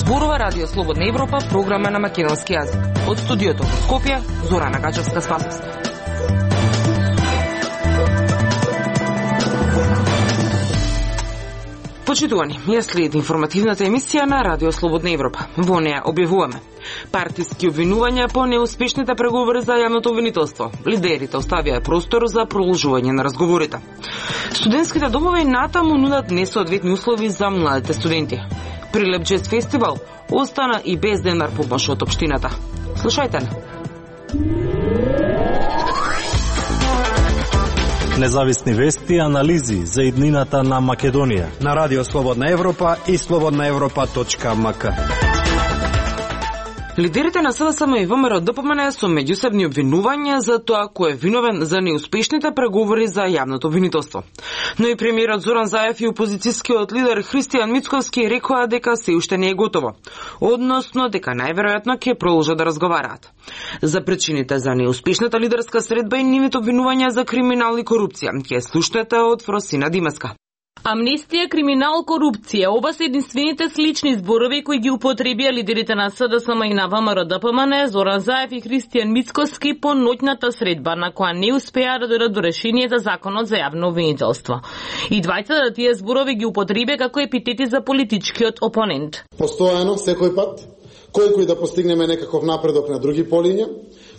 Зборува Радио Слободна Европа, програма на македонски јазик. Од студиото во Скопје, Зорана Гачевска-Спасовска. Почитувани, ја следи информативната емисија на Радио Слободна Европа. Во неја објавуваме партиски обвинувања по неуспешните преговори за јавното обвинителство. Лидерите оставија простор за продолжување на разговорите. Студентските домови натаму нудат несоодветни услови за младите студенти. Прилеп Джез фестивал остана и без денар помош од општината. Слушајте на. Независни вести и анализи за иднината на Македонија на Радио Слободна Европа и slobodnaevropa.mk. Лидерите на СДСМ и ВМРО ДПМН со меѓусебни обвинувања за тоа кој е виновен за неуспешните преговори за јавното обвинителство. Но и премиерот Зоран Заев и опозицијскиот лидер Христијан Мицковски рекоа дека се уште не е готово, односно дека најверојатно ќе продолжат да разговараат. За причините за неуспешната лидерска средба и нивните обвинувања за криминал и корупција ќе слушнете од Фросина Димеска. Амнестија, криминал, корупција, оба се единствените слични зборови кои ги употребија лидерите на СДСМ и на ВМРО ДПМН, Зоран Заев и Христијан Мицковски по ноќната средба на која не успеа да дојдат до решение за законот за јавно обвинителство. И двајцата тие зборови ги употребија како епитети за политичкиот опонент. Постојано, секој пат, кој да постигнеме некаков напредок на други полиња,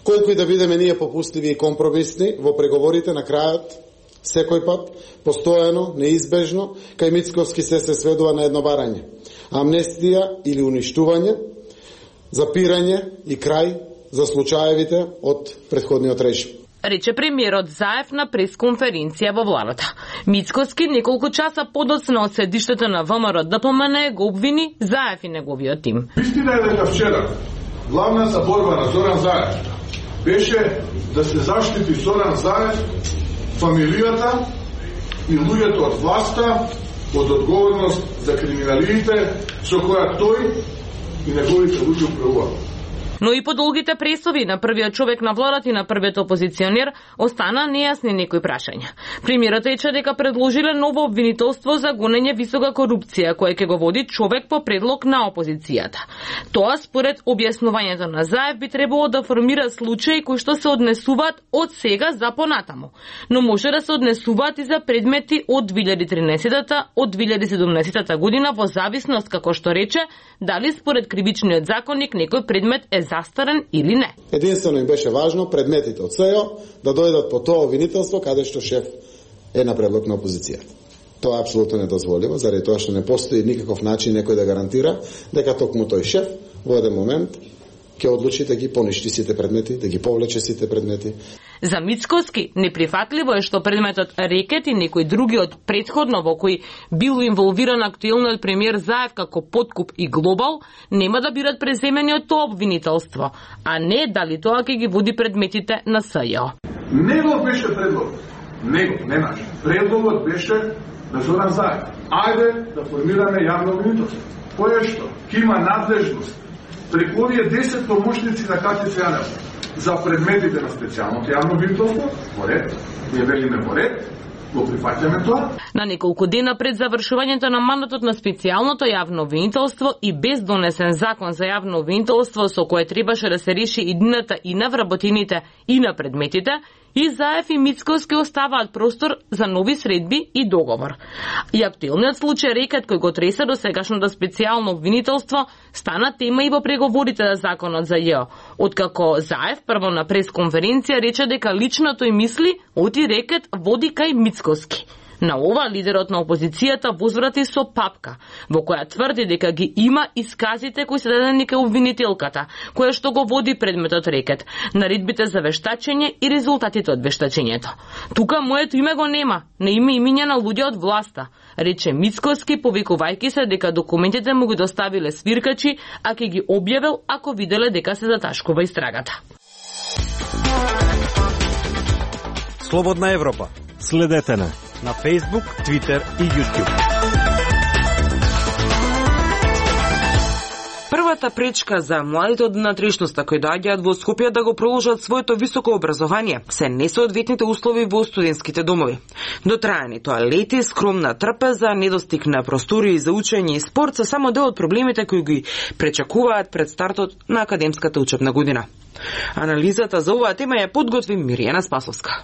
кој да видиме ние попустливи и компромисни во преговорите на крајот, секој пат, постојано, неизбежно, кај Мицковски се сведува на едно барање. Амнестија или уништување, запирање и крај за случаевите од претходниот режим. Рече премиерот Заев на пресконференција во владата. Мицковски неколку часа подоцна од седиштето на ВМРО ДПМН го обвини Заев и неговиот тим. Истина е дека вчера главната борба на Зоран Заев беше да се заштити Зоран Заев, фамилијата и луѓето од власта од одговорност за криминалите со која тој и неговите луѓе управуваат. Но и по долгите пресови на првиот човек на владата и на првиот опозиционер остана нејасни некои прашања. Премиерот рече дека предложиле ново обвинителство за гонење висока корупција, кое ќе го води човек по предлог на опозицијата. Тоа според објаснувањето на Заев би требало да формира случаи кои што се однесуваат од сега за понатаму, но може да се однесуваат и за предмети од 2013-та, од 2017 година во зависност, како што рече, дали според кривичниот законник некој предмет е застарен или не. Единствено им беше важно предметите од СЕО да дојдат по тоа обвинителство каде што шеф е на предлог на опозицијата. Тоа е апсолутно недозволиво, заради тоа што не постои никаков начин некој да гарантира дека токму тој шеф во еден момент ќе одлучи да ги поништи сите предмети, да ги повлече сите предмети. За Мицковски неприфатливо е што предметот рекет и некои други од претходно во кои бил инволвиран актуелниот премиер Заев како подкуп и глобал, нема да бидат преземени од тоа обвинителство, а не дали тоа ќе ги води предметите на СЈО. Негов беше предлог. Негов, не наш. Предлогот беше на Зоран Заев. Ајде да формираме јавно обвинителство. Кој е што? Ки има надлежност преку овие 10 помошници на КТЦ за предметите на специјалното јавно обвинителство, во ред, ние велиме во ред, го прифаќаме тоа. На неколку дена пред завршувањето на мандатот на специјалното јавно обвинителство и без донесен закон за јавно обвинителство со кое требаше да се реши иднината и на вработените и на предметите, и Заев и Мицковски оставаат простор за нови средби и договор. И актуелниот случај рекет кој го тресе до сегашното специјално обвинителство стана тема и во преговорите за законот за ЈО, откако Заев прво на пресконференција рече дека лично тој мисли оти рекет води кај Мицковски. На ова лидерот на опозицијата возврати со папка, во која тврди дека ги има исказите кои се дадени кај обвинителката, која што го води предметот рекет, наредбите за вештачење и резултатите од вештачењето. Тука моето име го нема, не има имиња на луѓе од власта, рече Мицковски, повикувајќи се дека документите му ги доставиле свиркачи, а ќе ги објавил ако виделе дека се заташкува истрагата. Слободна Европа. Следете на Facebook, Twitter и YouTube. Првата пречка за младите од внатрешноста кои доаѓаат во Скопје да го продолжат своето високо образование се несоодветните услови во студентските домови. Дотраени тоалети, скромна трпеза, недостиг на простории за учење и спорт се само дел од проблемите кои ги пречекуваат пред стартот на академската учебна година. Анализата за оваа тема ја подготви Миријана Спасовска.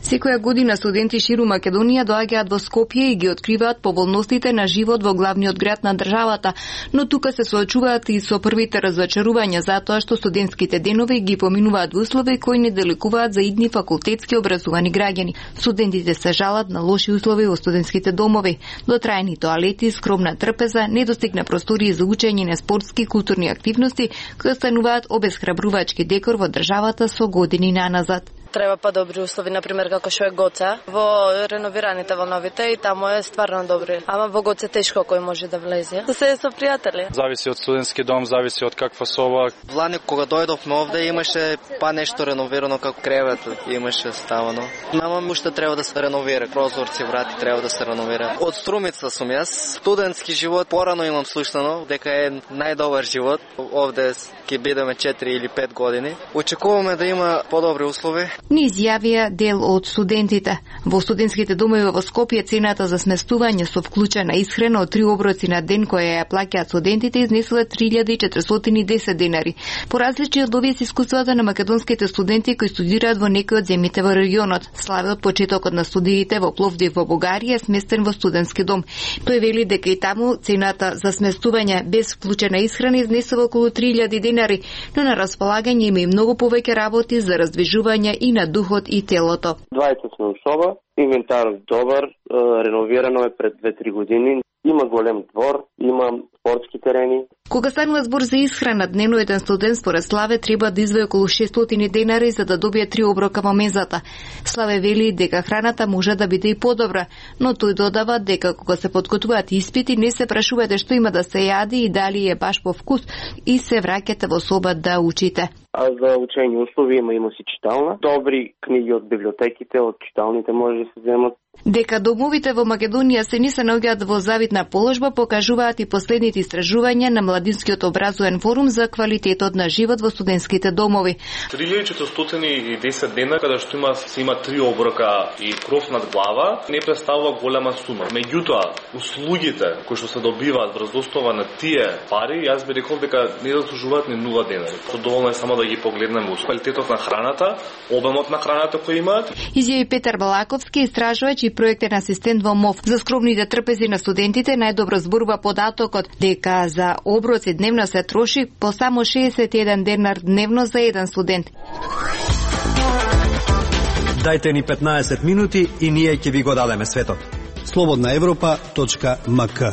Секоја година студенти ширум Македонија доаѓаат во Скопје и ги откриваат поволностите на живот во главниот град на државата, но тука се соочуваат и со првите разочарувања затоа што студентските денови ги поминуваат во услови кои не деликуваат за идни факултетски образовани граѓани. Студентите се жалат на лоши услови во студентските домови, дотраени тоалети, скромна трпеза, недостиг на простории за учење на спортски и културни активности, кои остануваат обесхрабрувачки декор во државата со години наназад. Треба подобри услови, например како што е Гоце, во реновираните во новите и таму е стварно добри. Ама во Гоце тешко кој може да влезе. Да се со пријатели. Зависи од студентски дом, зависи од каква соба. Лани кога дојдовме овде имаше па нешто реновирано како кревет, имаше ставано. Мама уште треба да се реновира, прозорци, врати треба да се реновира. Од Струмица сум јас. Студентски живот порано имам слушнано дека е најдобар живот. Овде ќе бидеме 4 или 5 години. Очекуваме да има подобри услови. Ни изјавија дел од студентите. Во студентските домови во Скопје цената за сместување со вклучена исхрана од 3 оброци на ден која ја плаќаат студентите изнесува 3410 денари. По различни од овие се искуствата на македонските студенти кои студираат во некои од земјите во регионот. Славе од почетокот на студиите во Пловдив во Бугарија е сместен во студентски дом. Тој вели дека и таму цената за сместување без вклучена исхрана изнесува околу 3000 денари, но на располагање има и многу повеќе работи за раздвижување и на духот и телото. 20 сме соба, инвентарот добар, реновирано е пред 2-3 години, има голем двор, има спортски терени. Кога станува збор за исхрана, дневно еден студент според Славе треба да издвои околу 600 денари за да добие 3 оброка во мезата. Славе вели дека храната може да биде и подобра, но тој додава дека кога се подготвуваат испити не се прашувате што има да се јади и дали е баш по вкус и се враќате во соба да учите. А за учење услови има си читална. Добри книги од библиотеките, од читалните може да се земат. Дека домовите во Македонија се не се наоѓаат во завидна положба покажуваат и последните истражувања на Младинскиот образовен форум за квалитетот на живот во студентските домови. 3410 дена каде што има 3 оброка и кров над глава не представува голема сума. Меѓутоа, услугите кои што се добиваат врз основа на тие пари, јас би рекол дека не заслужуваат ни 0 денари. Доволно е само да ги погледнеме квалитетот на храната, обемот на храната кој имаат. Изјави Петар Балаковски, истражувач и проектен асистент во МОВ. За скромните трпези на студентите најдобро зборува податокот дека за оброци дневно се троши по само 61 денар дневно за еден студент. Дајте ни 15 минути и ние ќе ви го дадеме светот. slobodnaevropa.mk.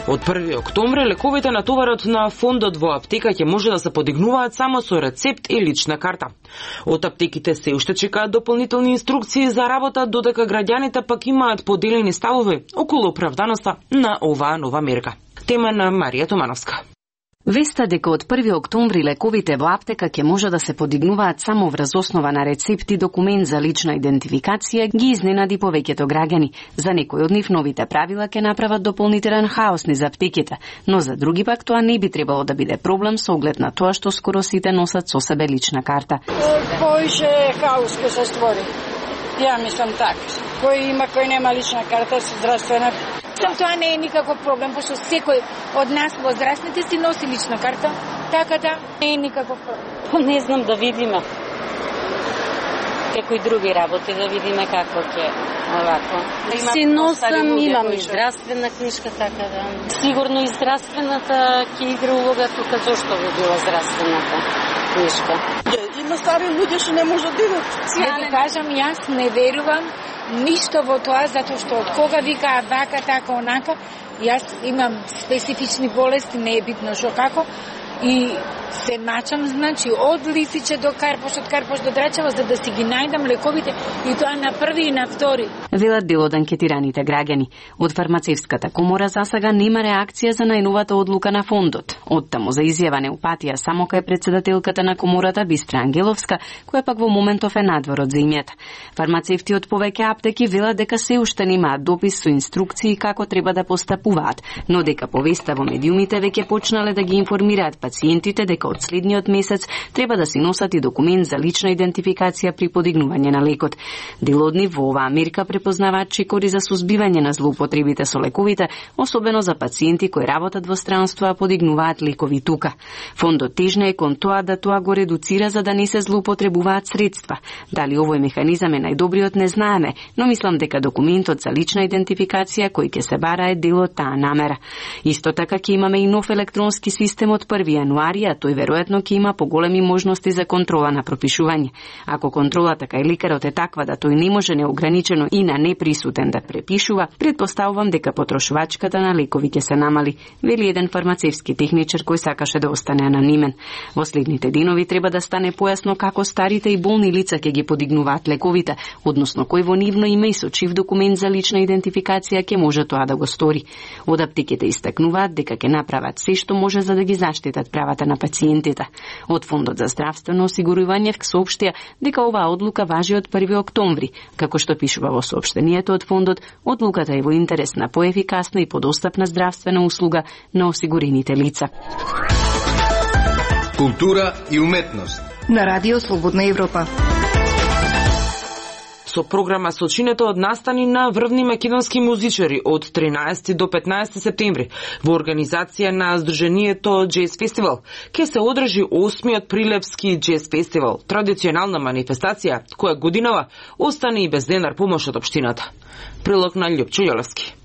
Од 1 октомври лековите на товарот на фондот во аптека ќе може да се подигнуваат само со рецепт и лична карта. Од аптеките се уште чекаат дополнителни инструкции за работа, додека граѓаните пак имаат поделени ставови околу оправданоста на оваа нова мерка. Тема на Марија Томановска. Веста дека од 1 октомври лековите во аптека ќе може да се подигнуваат само врз основа на рецепт и документ за лична идентификација ги изненади повеќето граѓани. За некои од нив новите правила ќе направат дополнителен хаос низ аптеките, но за други пак тоа не би требало да биде проблем со оглед на тоа што скоро сите носат со себе лична карта. Поише хаос ќе се створи. Ја мислам така. Кој има, кој нема лична карта со здравствена. Тоа не е никаков проблем, пошто секој од нас возрастните си носи лична карта, така да не е никаков проблем. Не знам, да видиме. Како и други работи, да видиме како ќе овако. Си носам, имам и здравствена книжка, така да. Сигурно и здравствената ќе игра улога тука, зошто би била здравствената книжка. Има стари луѓе што не можат да идат. Ја ви кажам, јас не верувам ништо во тоа, затоа што од кога викаат вака, така, онака, јас имам специфични болести, не е битно што како, и се мачам, значи, од Лисиче до Карпош, од Карпош до Драчево, за да си ги најдам лековите, и тоа на први и на втори. Велат дел од анкетираните граѓани. Од фармацевската комора засега нема реакција за најновата одлука на фондот. Оттаму за изјава неупатија само кај председателката на комората Бистра Ангеловска, која пак во моментов е надвор од земјата. Фармацевти од повеќе аптеки велат дека се уште немаат допис со инструкции како треба да постапуваат, но дека повеста во медиумите веќе почнале да ги информираат пациентите дека од следниот месец треба да си носат и документ за лична идентификација при подигнување на лекот. Дел од нив во оваа мерка препознаваат чекори за сузбивање на злоупотребите со лековите, особено за пациенти кои работат во странство а подигнуваат лекови тука. Фондот тежне е кон тоа да тоа го редуцира за да не се злоупотребуваат средства. Дали овој механизам е најдобриот не знаеме, но мислам дека документот за лична идентификација кој ќе се бара е дел од таа намера. Исто така ќе имаме и нов електронски систем од 1 јануари, а тој веројатно ќе има поголеми можности за контрола на пропишување. Ако контролата кај лекарот е таква да тој не може неограничено и на неприсутен да препишува, предпоставувам дека потрошувачката на лекови ќе се намали, вели еден фармацевски техничар кој сакаше да остане анонимен. Во следните денови треба да стане појасно како старите и болни лица ќе ги подигнуваат лековите, односно кој во нивно име и со чив документ за лична идентификација ќе може тоа да го стори. Од аптеките истакнуваат дека ќе направат се што може за да ги заштитат правата на пациентите. Од Фондот за здравствено осигурување соопштија дека оваа одлука важи од 1 октомври. Како што пишува во соопштението од Фондот, одлуката е во интерес на поефикасна и подостапна здравствена услуга на осигурените лица. Култура и уметност на Радио Слободна Европа. Со програма Сочинето од настани на врвни македонски музичари од 13 до 15 септември во организација на Сдруженијето Джез Фестивал ќе се одржи 8-миот Прилепски Джез Фестивал, традиционална манифестација која годинава остане и без денар помош од општината. Прилог на Љупчо Јолевски.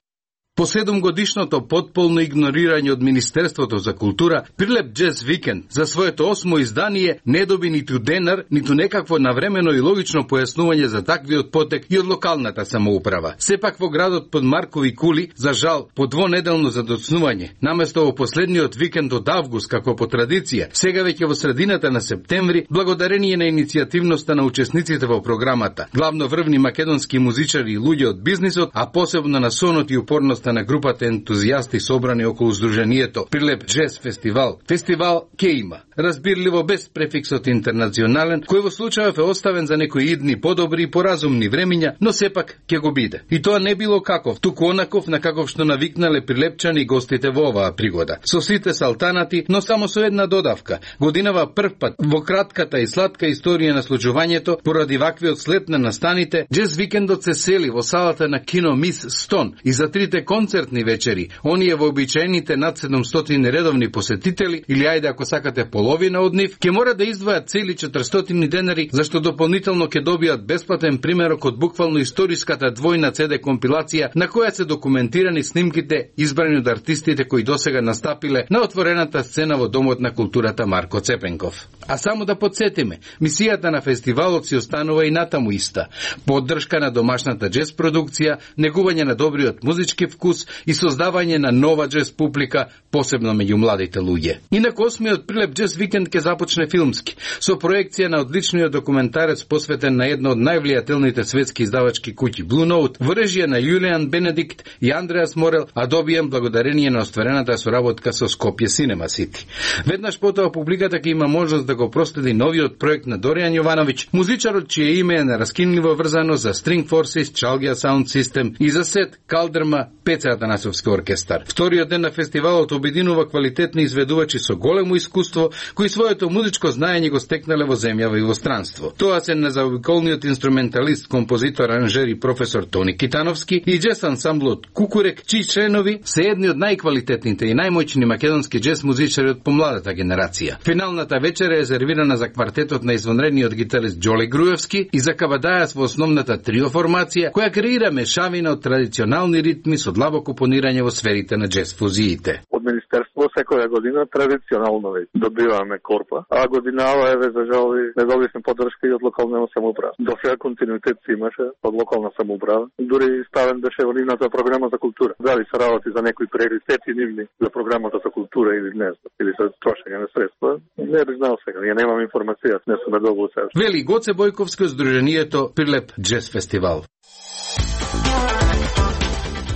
По 7-годишното потполно игнорирање од Министерството за култура, Прилеп Джез Викенд за своето 8-мо издание не доби ниту денар, ниту некакво навремено и логично појаснување за таквиот потек и од локалната самоуправа. Сепак во градот под Маркови кули, за жал, по двонеделно задоцнување, наместо во последниот викенд од август како по традиција, сега веќе во средината на септември, благодарение на иницијативноста на учесниците во програмата, главно врвни македонски музичари и луѓе од бизнисот, а посебно на сонот и упорност на групата ентузијасти собрани околу Сдруженијето Прилеп Джез Фестивал. Фестивал ке има, разбирливо без префиксот интернационален, кој во случајов е оставен за некои идни подобри и поразумни времиња, но сепак ќе го биде. И тоа не било каков, туку онаков на каков што навикнале прилепчани гостите во оваа пригода. Со сите салтанати, но само со една додавка. Годинава првпат во кратката и сладка историја на случувањето, поради ваквиот слет на настаните, Джез викендот се сели во салата на кино Мис Стон и за трите концертни вечери, оние вообичаените над 700 редовни посетители, или ајде ако сакате половина од нив, ќе мора да издвојат цели 400 денари, зашто дополнително ќе добијат бесплатен примерок од буквално историската двојна CD компилација на која се документирани снимките избрани од артистите кои досега настапиле на отворената сцена во Домот на културата Марко Цепенков. А само да подсетиме, мисијата на фестивалот си останува и натаму иста. Поддршка на домашната джез продукција, негување на добриот музички вкус и создавање на нова джез публика, посебно меѓу младите луѓе. Инаку 8-миот Прилеп Джез Викенд ќе започне филмски, со проекција на одличниот документарец посветен на едно од највлијателните светски издавачки куќи Blue Note, во режија на Јулијан Бенедикт и Андреас Морел, а добиен благодарение на остварената соработка со Скопје Cinema City. Веднаш потоа публиката ќе има можност да го проследи новиот проект на Доријан Јовановиќ, музичарот чие име е нераскинливо врзано за String Forces, Chalgia Sound System и за Сет Калдерма, Пеце Атанасовски оркестар. Вториот ден на фестивалот обединува квалитетни изведувачи со големо искуство, кои своето музичко знаење го стекнале во земјава и во странство. Тоа се незаобиколниот инструменталист, композитор, аранжер и професор Тони Китановски и джез ансамблот Кукурек, чии членови се едни од најквалитетните и најмоćни македонски джез музичари од помладата генерација. Финалната вечер е резервирана за квартетот на извонредниот гитарист Џоле Груевски и за Кабадајас во основната трио формација, која креира мешавина од традиционални ритми со слабо компонирање во сферите на джез фузиите. Од Министерство секоја година традиционално добиваме корпа, а годинава еве за жал не добивме поддршка и од локална самоуправа. До сега континуитет се имаше од локална самоуправа. Дури ставен беше во нивната програма за култура. Дали се работи за некои приоритети нивни за програмата за култура или не, или за трошење на средства, не би знал сега. Ја немам информација, не сум добил сега. Вели Гоце Бојковски од Сдруженијето Прилеп Джез фестивал.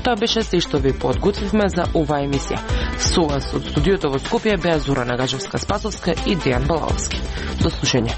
Тоа беше се што ви подготвивме за оваа емисија. Со вас од студиото во Скопје беа Зора Нагажевска-Спасовска и Дејан Балаовски. До слушање.